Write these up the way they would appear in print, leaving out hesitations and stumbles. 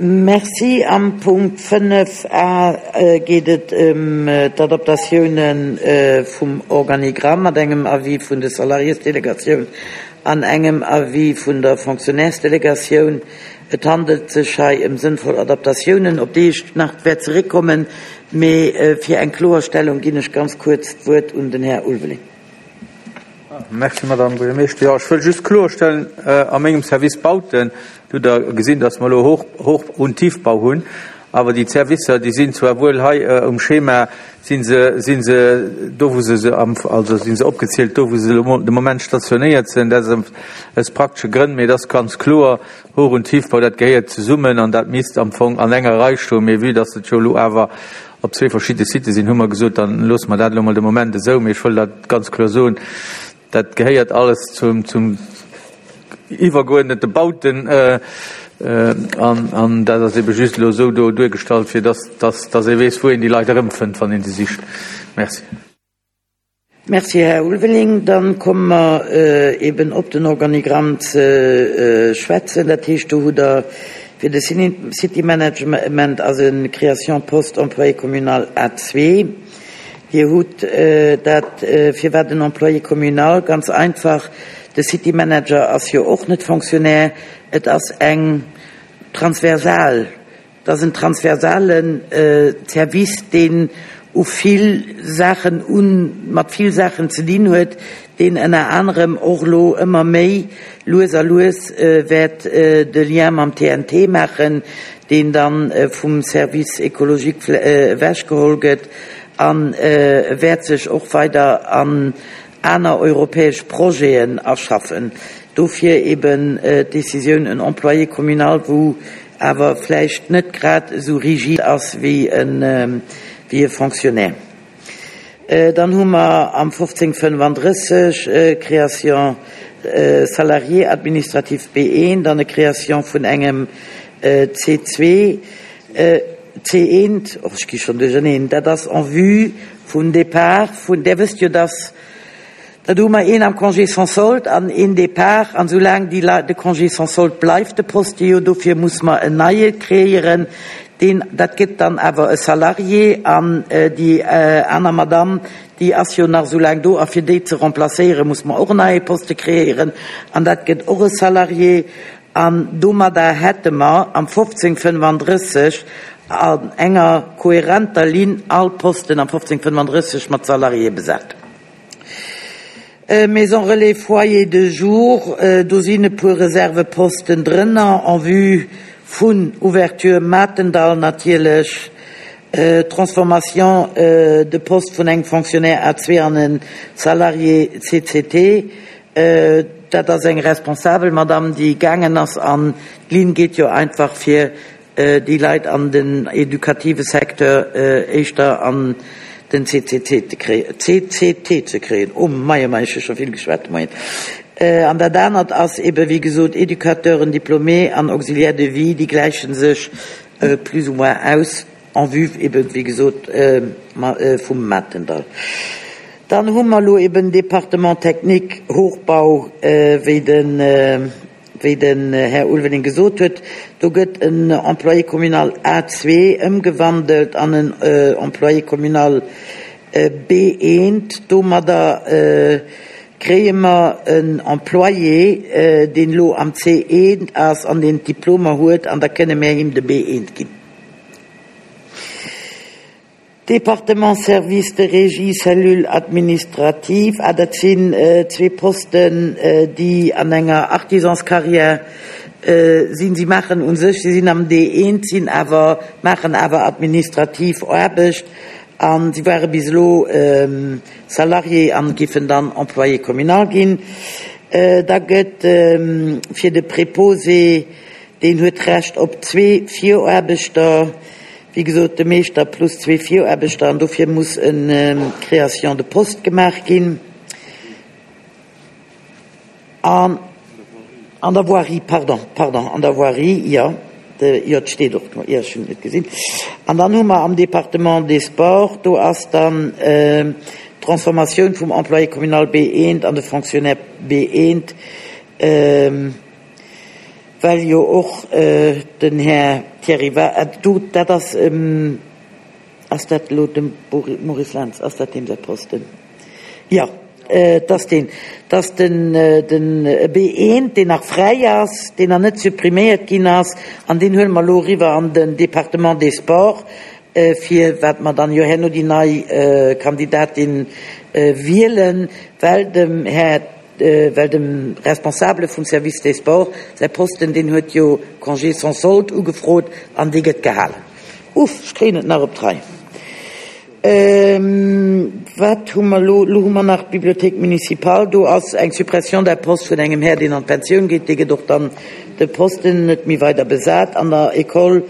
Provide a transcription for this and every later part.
Merci. Am Punkt 5 a geet et ëm d'Adaptatioune vum Organigramm mat engem Avis vun de Salariésdelegatioun an engem Avis vun der Fonctionnairesdelegatioun. Et handelt sech hei ëm sënnvoll Adaptatiounen, op déi ech nach wäert zeréckkommen, mee fir eng Kloerstellung ginn ech ganz kuerz d'Wuert un den Här Ulveling. Merci, Madame Buergermeeschter. Jo, ech wëll just kloerstellen, a mengem Service Bauten, do hutt Der gesinn, dass mer elo Hoch-, Hoch und Tiefbau hunn, awer déi Servicer, déi sinn zwar wuel hei um Schema, si se, si se do, wou se se am, also si se opgezielt do, wou se elo de Moment stationéiert sinn. Dat ass aus praktesche Grënn, mee et ass ganz kloer, Hoch und Tiefbau, dat gehéiert zesummen an dat misst am Fong an enger Rei stoen. Mee vue dass et jo elo awer op zwee verschidde Sitë sinn, hu mer gesot, dann loosse mer dat elo mol de Moment esou. Mee ech wëll dat ganz kloer soen, dat gehéiert alles zum, zum iwwergeuerdnete Bauten an, an dat ass ebe just elo esou do duergestallt, fir dass, dass, dass ee weess, wou een déi Leit erëmfënnt, wann ee se sicht. Merci. Merci, Här Ulveling. Dann komme mer eben op den Organigramm ze schwätzen. Dat heescht, do hutt Der fir de City Management ass e Création poste employé communal A2. Dir hutt dat, firwat en Employé communal? Ganz einfach, de City Manager ass jo och net Fonctionnaire. Et ass eng transversal Et ass en transversale Service, deen u vill Saachen un, mat vill Saachen ze dinn huet, deen ënner anerem och elo ëmmer méi lues a lues wäert de Lien mam TNT maachen, deen da vum Service écologique ewechgeholl gëtt a wäert sech och weider an aner europäesch Projeten aschaffen. Dofir eben d'Décisioun, en Employé communal, wou awer vläicht net grad esou rigid ass wéi e Fonctionnaire. Dann hu mer am 1535 Création salarié administratif B1, dann e Création vun engem C2, C1, och ech gi schonn duercherneen, dat ass en vue vum Départ vun, Där wësst jo, dass Da hu mer een am Congé sans solde an een Départ. An soulaang déi Leit, de Congé sans solde bleift de Poste jo, dofir muss mer en neie kreéieren, deen, dat gëtt dann awer e Salarié. An déi aner Madamm, déi ass jo nach soulaang do, a fir déi ze remplacéieren, muss mer och en neie Poste kreéieren, an dat gëtt och e Salarié. An domadder hätte mer am 1535 an enger kohärenter Linn all Posten am 1535 mat Salariéë besat. Maison relais, Foyer de jour, do sinn e puer Reserveposten drënner en vue vun Ouverture Matendall natierlech, Transformation de poste vun engem Fonctionnaire A2 an e Salarié CCT, dat ass eng responsabel Madame, déi gaangen ass an d'Linn geet jo einfach fir déi Leit an den edukative Secteur éischter an den CCT ze kréien, CCT ze kréien. Oh mei, oh mei, ech hu scho vill geschwat de Moien. An dat anert ass ebe wéi gesot Éducateuren diplômés an Auxiliaires de vie, déi gläiche sech plus ou moins aus en vue ebe wéi gesot vum Matendall. Dann hu mer elo eben Département technique, Hochbau, wéi den. Wéi den Här Ulveling gesot huet, do gëtt en Employé communal A2 ëmgewandelt an en Employé communal B1. Domadder kréie mer en Employé, deen elo am C1 ass an deen d'Diplomer huet, an da kënne mär him de B1 ginn. Département Service de régie cellule administrative, ah dat sinn zwee Posten, déi an enger Artisanscarrière sinn. Si maachen u sech, si sinn am D1, sinn awer, maachen awer administrativ Aarbecht a si ware bis elo Salarié an giffen dann Employé communal ginn. Da gëtt fir de Préposé, deen huet d'Recht op zwee Viraarbechter, Wéi gesot, de Meeschter plus zwee Viraarbechter, an dofir muss e Création de poste gemaach ginn. An an der Voirie, pardon, pardon, an der Voirie, jo, de, jo, et steet och do, jo, ech hunn et net gesinn. An dann hu mer am Département des Sports, do ass dann d'Transformatioun vum Employé communal B1 an de Fonctionnaire B1. Well jo och den Här Thierry Wa-, do, dat ass, ass dat elo dem Maurice Lentz, ass dat deem säi Posten? Jo, et ass deen, et ass den, den B1, deen nach fräi ass, deen nach net suppriméiert ginn ass, an deen huele mer elo eriwwer an den Département des Sports, fir wat mer dann jo herno déi nei Kandidatin wielen, well dem Här, well dem Responsabele vum Service des Sports säi Posten, deen huet jo Congé sans solde ugefrot an dee gëtt gehalen. Uff, ech kréien et nach op d'Rei. Wat hu mer elo? Elo hu mer nach d'Bibliothèque municipale. Do ass eng Suppression d'un poste vun engem Här, deen an d'Pensioun geet. Dee gëtt och dann de Posten net méi weider besat. An der École,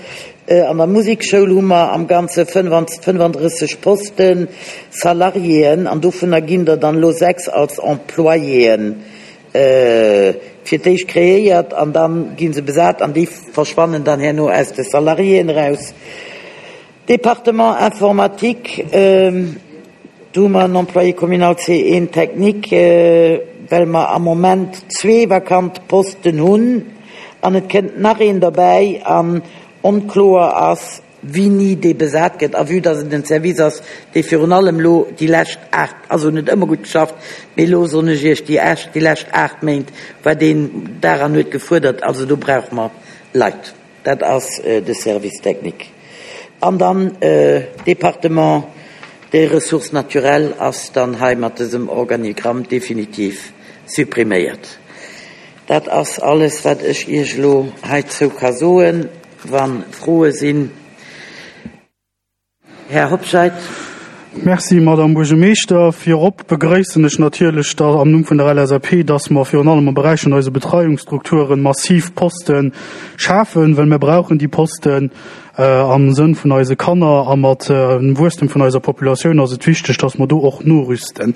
an der Musekschoul hu mer am Ganze 35 Posten, Salariéen, an dovunner ginn der dann elo 6 als Employéen fir d'éischt kreéiert an da gi se besat an déi verschwannen dann herno aus de Salariéen eraus. Département informatique, do hu mer en Employé communal C1 technique, well mer am Moment zwee vakant Posten hunn an et kënnt nach een derbäi an onkloer ass, wéini dee besat gëtt a vue dass et en Service ass, dee virun allem elo déi lescht aacht, also en huet ëmmer gutt geschafft, mee elo soen ech Iech, déi déi lescht aacht Méint war deen Dag an huet gefuerdert, also do brauche mer Leit. Dat ass de Service technique. An dann Département des Ressources naturelles ass dann hei mat dësem Organigramm definitiv suppriméiert. Dat ass alles, wat ech Iech elo heizou ka soen. Wa Froe sinn. Här Hobscheit. Merci, Madame Buergermeeschter. Virop begrëissen ech natierlech da am Numm vun der LSAP, dass mer virun allem am Beräich vun eise Betreiungsstrukturen massiv Poste schafen, well mir brauchen déi Posten am Sënn vun eise Kanner a mat dem Wuesstem vun eiser Populatioun ass et wichteg, dass mer do och norüsten.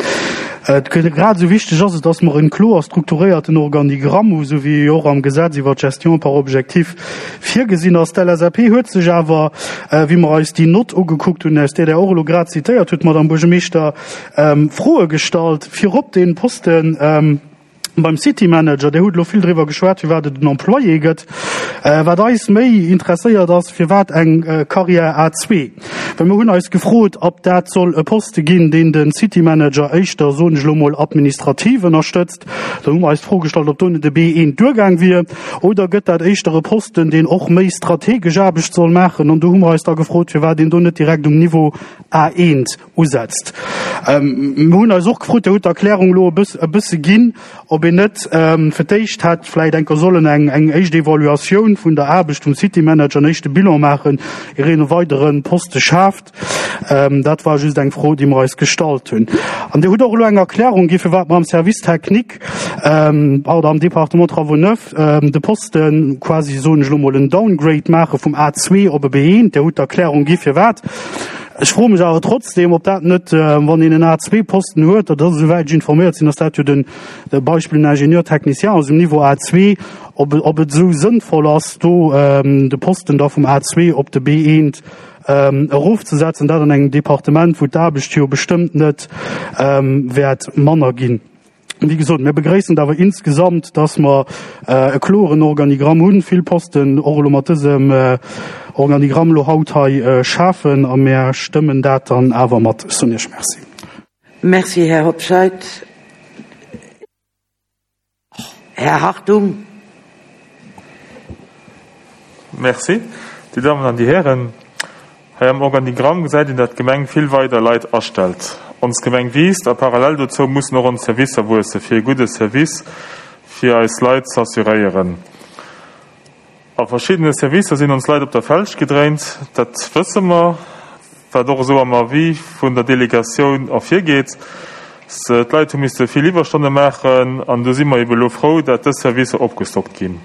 Grad esou wichteg ass et, dass mer e kloer strukturéierten Organigramm hu, esou wéi e jo och am Gesetz iwwert d'Gestion par objectifs Virgesinn ass. D'LSAP huet sech awer, wéi mer eis déi Nott ugekuckt hunn, aus där Der och elo grad zitéiert hutt, Madame Buergermeeschter, Froe gestallt. Virop dee Posten beim City Manager. Dir hutt elo vill driwwer geschwat, firwat et en Employé gëtt. Wat eis méi interesséiert ass, firwat eng Carrière A2? Well mer hunn eis gefrot, ob dat soll e Poste ginn, deen de City Manager éischter, soen ech elo mol, administrativ ënnerstëtzt. Da hu mer eis d'Fro gestallt, ob do net e B1 duergaang wier oder gëtt dat éischter e Posten, deen och méi strategesch Aarbecht soll maachen. An do hu mer eis da gefrot, firwat een do net direkt um Niveau A1 usetzt. Mir hunn eis och gefrot, Dir hutt d'Erklärung elo e bëss, e bësse ginn, ob een net fir d'éischt hätt vläicht enker sollen eng, eng éischt Evaluatioun vun der Aarbecht vum City Manager, en éischte Bilan maachen, ier een e weidere Poste schaaft. Dat war just eng Fro, déi mer eis gestallt hunn. An Dir hutt och elo eng Erklärung gi firwat mer am Service technique oder am Département Travaux neufs de Poste quasi, soen ech elo mol, en Downgrade maache vum A2 op e B1. Dir hutt d'Erklärung gi firwat. Ech froe mech awer trotzdem, ob dat net, wann een en A2-Posten huet, dat ass, esouwäit ech informéiert sinn, ass dat jo den Beispill en Ingénieur technicien ass um Niveau A2, ob ob et esou sënnvoll ass, do de Posten da vum A2 op de B1 erofzesetzen, dat an engem Departement, wou d'Aarbecht jo bestëmmt net wäert manner ginn. Wéi gesot, mir begréissen et awer insgesamt, dass mer e kloren Organigramm hunn, vill Posten och elo mat dësem Organigramm elo haut hei schafen, a mir stëmmen dat dann awer mat. Ech soen Iech Merci. Merci, Här Hobscheit. Här Hartung. Merci. Dir Dammen an Dir Hären, hei am Organigramm gesäit een, dat d'Gemeng vill weider Leit astellt. Ons Gemeng wiisst a parallel dozou mussen och ons Servicer wuesse fir e gudde Service fir eis Leit z'assuréieren. A verschiddene Servicer sinn ons Leit op der Felg gedréint, dat wësse mer, wat och esou am Avis vun der Delegatioun ervirgeet. D'Leit hu misste vill Iwwerstonne maachen an do si mer ebe lo frou, dat dës Servicer opgestockt ginn.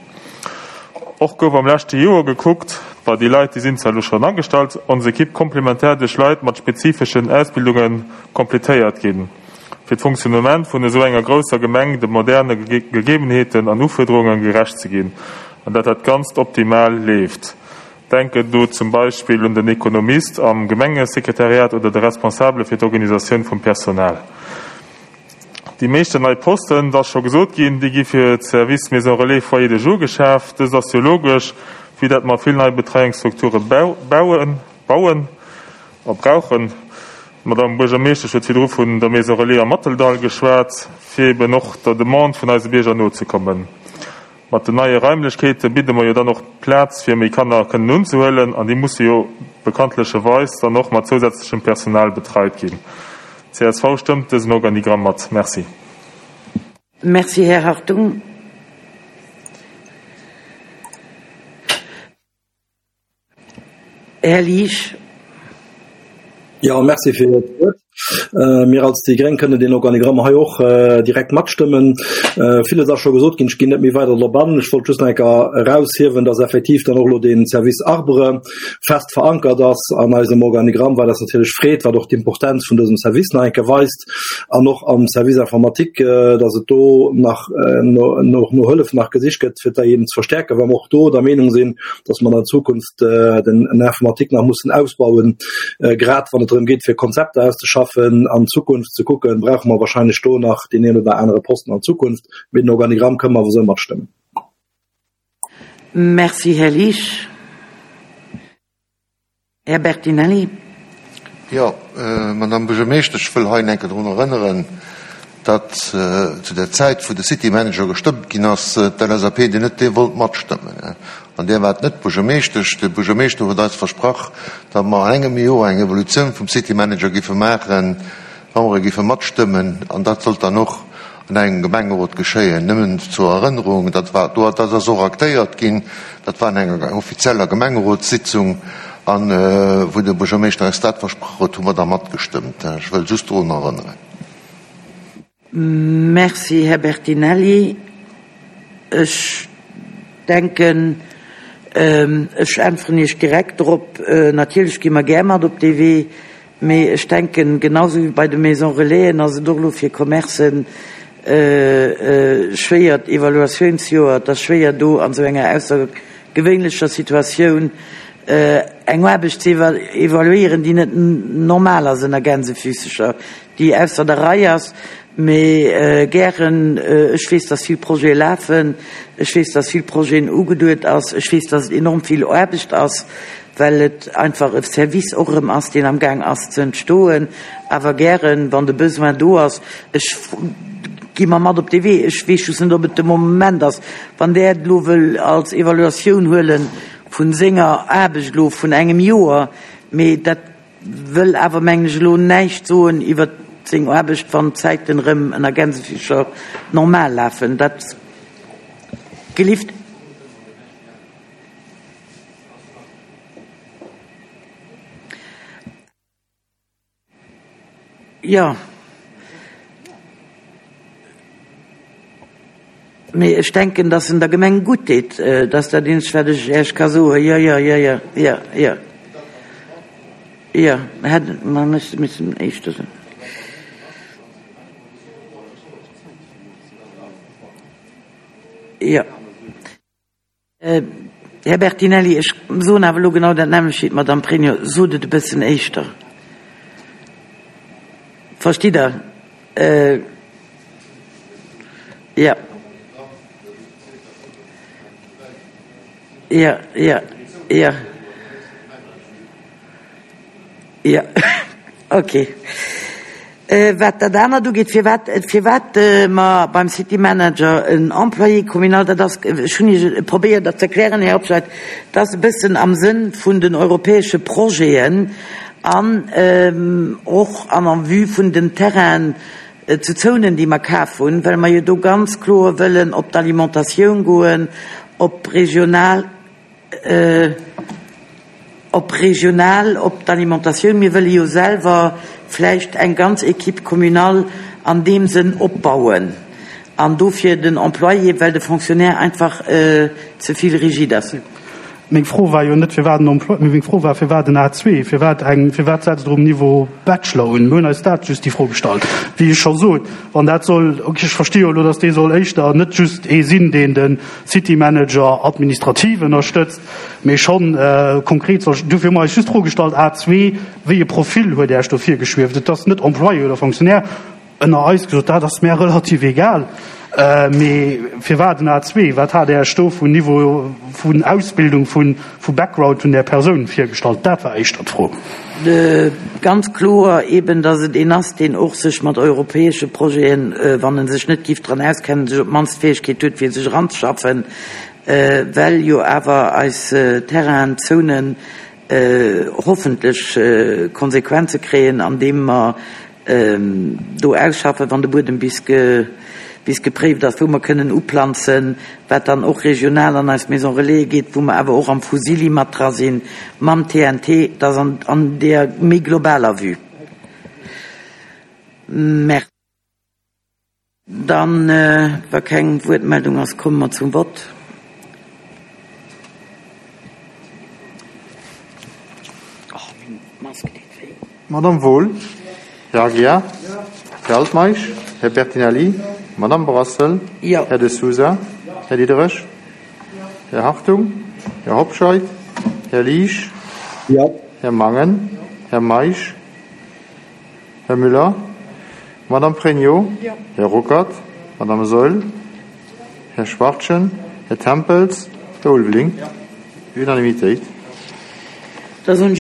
Och gouf am leschte Joer gekuckt, bei déi Leit, déi sinn zwar elo schonn agestallt, ons Ekipp komplementär duerch Leit mat spezifeschen Ausbildunge completéiert ginn. fir d'Fonctionnement vun esou enger grousser Gemeng de moderne Gegebenheeten an Ufuerderunge gerecht ze ginn an dat dat Ganzt optimal leeft. Denken do zum Beispill un den Ekonomist am Gemengesekretariat oder de Responsabele fir d'Organisatioun vum Personal. Déi meeschten nei Posten, et ass scho gesot ginn, déi gi fir d'Service Maison Relais Foyer de jour geschaf. Dëst ass jo logesch, vue dat mer vill nei Betreiungsstrukture bauen a brauchen. D'Madame Buergermeeschtesch huet virdru vun der Maison Relais am Matteldall geschwat, fir eben och der Demande vun eise Bierger nozekommen. Mat den neie Raimlechkeete bidde mer jo dann och Plaz fir méi Kanner kënnen unzehuelen an déi musse jo bekanntlecherweis dann och mat zousätzlechem Personal betreit ginn. Csv stëmmt dësen Organigramm mat. Merci. Merci, Här Hartung. Här Liesch. Jo, merci fir d'Wuert. Mir als déi gréng kënnen deen Organigramm hei och direkt matstëmmen. Villes ass scho gesot ginn, ech ginn net méi weider drop an. Ech wollt just nach eng Kéier eraushiewen, dass effektiv dann och elo dee Service Arbre fest verankert ass an eisem Organigramm, wat eis natierlech freet, wat och d'Importenz vun dësem Service nach eng Kéier weist an och am Service Informatique, dass et do nach no Hëllef nach gesicht gëtt, fir déi eben ze verstärken, well mer och do der Meenung sinn, dass mer an Zukunft den Informatique nach mussen ausbauen, grad wann et drëm geet, fir Konzepter auszeschaffen, an Zukunft ze kucken, brauche mer wahrscheinlech do nach deen een oder anere Posten an Zukunft. Mee den Organigramm kënnen mer awer esou matstëmmen. Merci, Här Liesch. Här Bertinelli. Jo, Madame Buergermeeschtesch, ech wëll hei enke drun erënneren, datt zu der Zäit, wou de City Manager gestëmmt ginn ass, d'LSAP deen net dee wollt matstëmmen. An där war et net d'Buergermeeschtesch. De Buergermeeschter huet eis versprach, datt mer an engem Joer eng Evolutioun vum City Manager giffe maachen, wa mer e giffe matstëmmen. An dat sollt dann och an engem Gemengerot geschéien. Nëmmen zur Erënnerung, dat war do, dat ass och aktéiert ginn, dat war an enger offizieller Gemengerotssitzung, an wou de Buergermeeschter eis dat versprach huet, hu mer da matgestëmmt. Ech wëll just drun erënneren. Merci, Här Bertinelli. Ech denken, ech äntweren Iech direkt drop, Natierlech gi mer gär mat op dee Wee. Mee ech denken, genau sou wéi bei de Maisons Relaisen ass et och elo fir Commercen schwéier, d'Evaluatiounsjoer, et ass schwéier do an esou enger aussergewéinlecher Situatioun eng Aarbecht ze evaluéieren, déi net normal ass, ënner Gänsefüßecher, déi ausser der Rei ass. Mee gären, ech weess, dass vill Projete lafen, ech weess, dass vill Projeten ugeduet ass, ech weess, dass et enorm vill Aarbecht ass, well et einfach e Service och erëm ass, deen amgaang ass ze entstoen, awer gären, wann de Besoin do ass. Ech gi mer mat op dee Wee. Ech weess just net, ob et de Moment ass, wann Der et elo wëll als Evaluatioun huele vu senger Aarbecht elo vun engem Joer, mee dat wëll awer, mengen ech, elo näischt soen iwwert seng Aarbecht, wann d'Zäiten erëm ënner Gänsefüßcher normal lafen. Dat gelift. Jo. Mee ech denken, dass en der Gemeng gutt deet. Dat ass dat eenzegt, wat ech Iech ka soen. Jo, jo, jo, jo, jo, jo. Jo, hätt mer missen éischter soen. Jo. Här Bertinelli, ech soen awer elo genau dat nämmlecht wéi d'Madame Pregno. Sot et e bëssen éischter. Verstitt Der? Jo. Jo, jo, jo. Jo, ok. Wat dat anert ugeet, firwat, firwat mer beim City Manager en Employé communal, dat ass, ech hunn Iech probéiert dat ze erklären, Här Hobscheit, dat ass e bëssen am Sënn vun den europäesche Projeten an och an en vue vun den Terrainen zu Zounen, déi mer kaf hunn, well mer jo do ganz kloer wëllen op d'Alimentatioun goen, op regional, Op regional, op d'Alimentatioun. Mir wëlle jo selwer vläicht eng ganz Équipe communale an deem Sënn opbauen an dofir den Employé, well de Fonctionnaire einfach ze vill rigide ass. Meng Fro war jo net, firwat en Employé, mee meng Fro war, firwat en A2, firwat eng, firwat setzt Der um Niveau Bachelor un? Mir hunn eis dat just déi Fro gestallt. Wéi ech scho sot, wann dat soll, okay, ech versti jo elo, datt dee soll éischter net just ee sinn, deen de City Manager administrativ ënnerstëtzt, mee schonn konkret soll. Dofir hu mer eis just d'Fro gestallt, A2, wéi e Profil huet Äech do virgeschwieft? Et ass net Employé oder Fonctionnaire. Ënner eis gesot, dat ass mär relativ egal. Mee firwat en A2? Wat hat Är Iech do vun Niveau vun Ausbildung, vu Background vun där Persoun virgestallt? Dat war éischter d'Fro. Ganz kloer eben, datt et een ass, deen och sech mat europäesche Projeten, wann e sech net giff dran auskennen, sech op d'mannst d'Fäegkeet huet, fir sech eranzeschaffen, well jo awer eis Terrainen, Zonen hoffentlech Konsequenze kréien, andeem mer do ausschaffen, wann de Buedem bis bis gepréift ass, wou mer kënnen uplanzen, wat dann och regional an eis Maison Relaisen geet, wou mer awer och am Fusili mat dra sinn, mam TNT, dat ass an an deeër méi globaler Vue. Merci. Dann, wa keng Wuertmeldung ass, komme mer zum Vott. Madame Wohl, Här Aguiar, Här Altmeisch, Här Bertinelli, Madame Brassel, Här De Sousa, Här Diderich, Här Hartung, Här Hobscheit, Här Liesch, Här Mangen, Här Meisch, Här Müller, Madame Pregno, Här Ruckert, Madame Saeul, Här Schwachtgen, Här Tempels, Här Ulveling. Unanimitéit.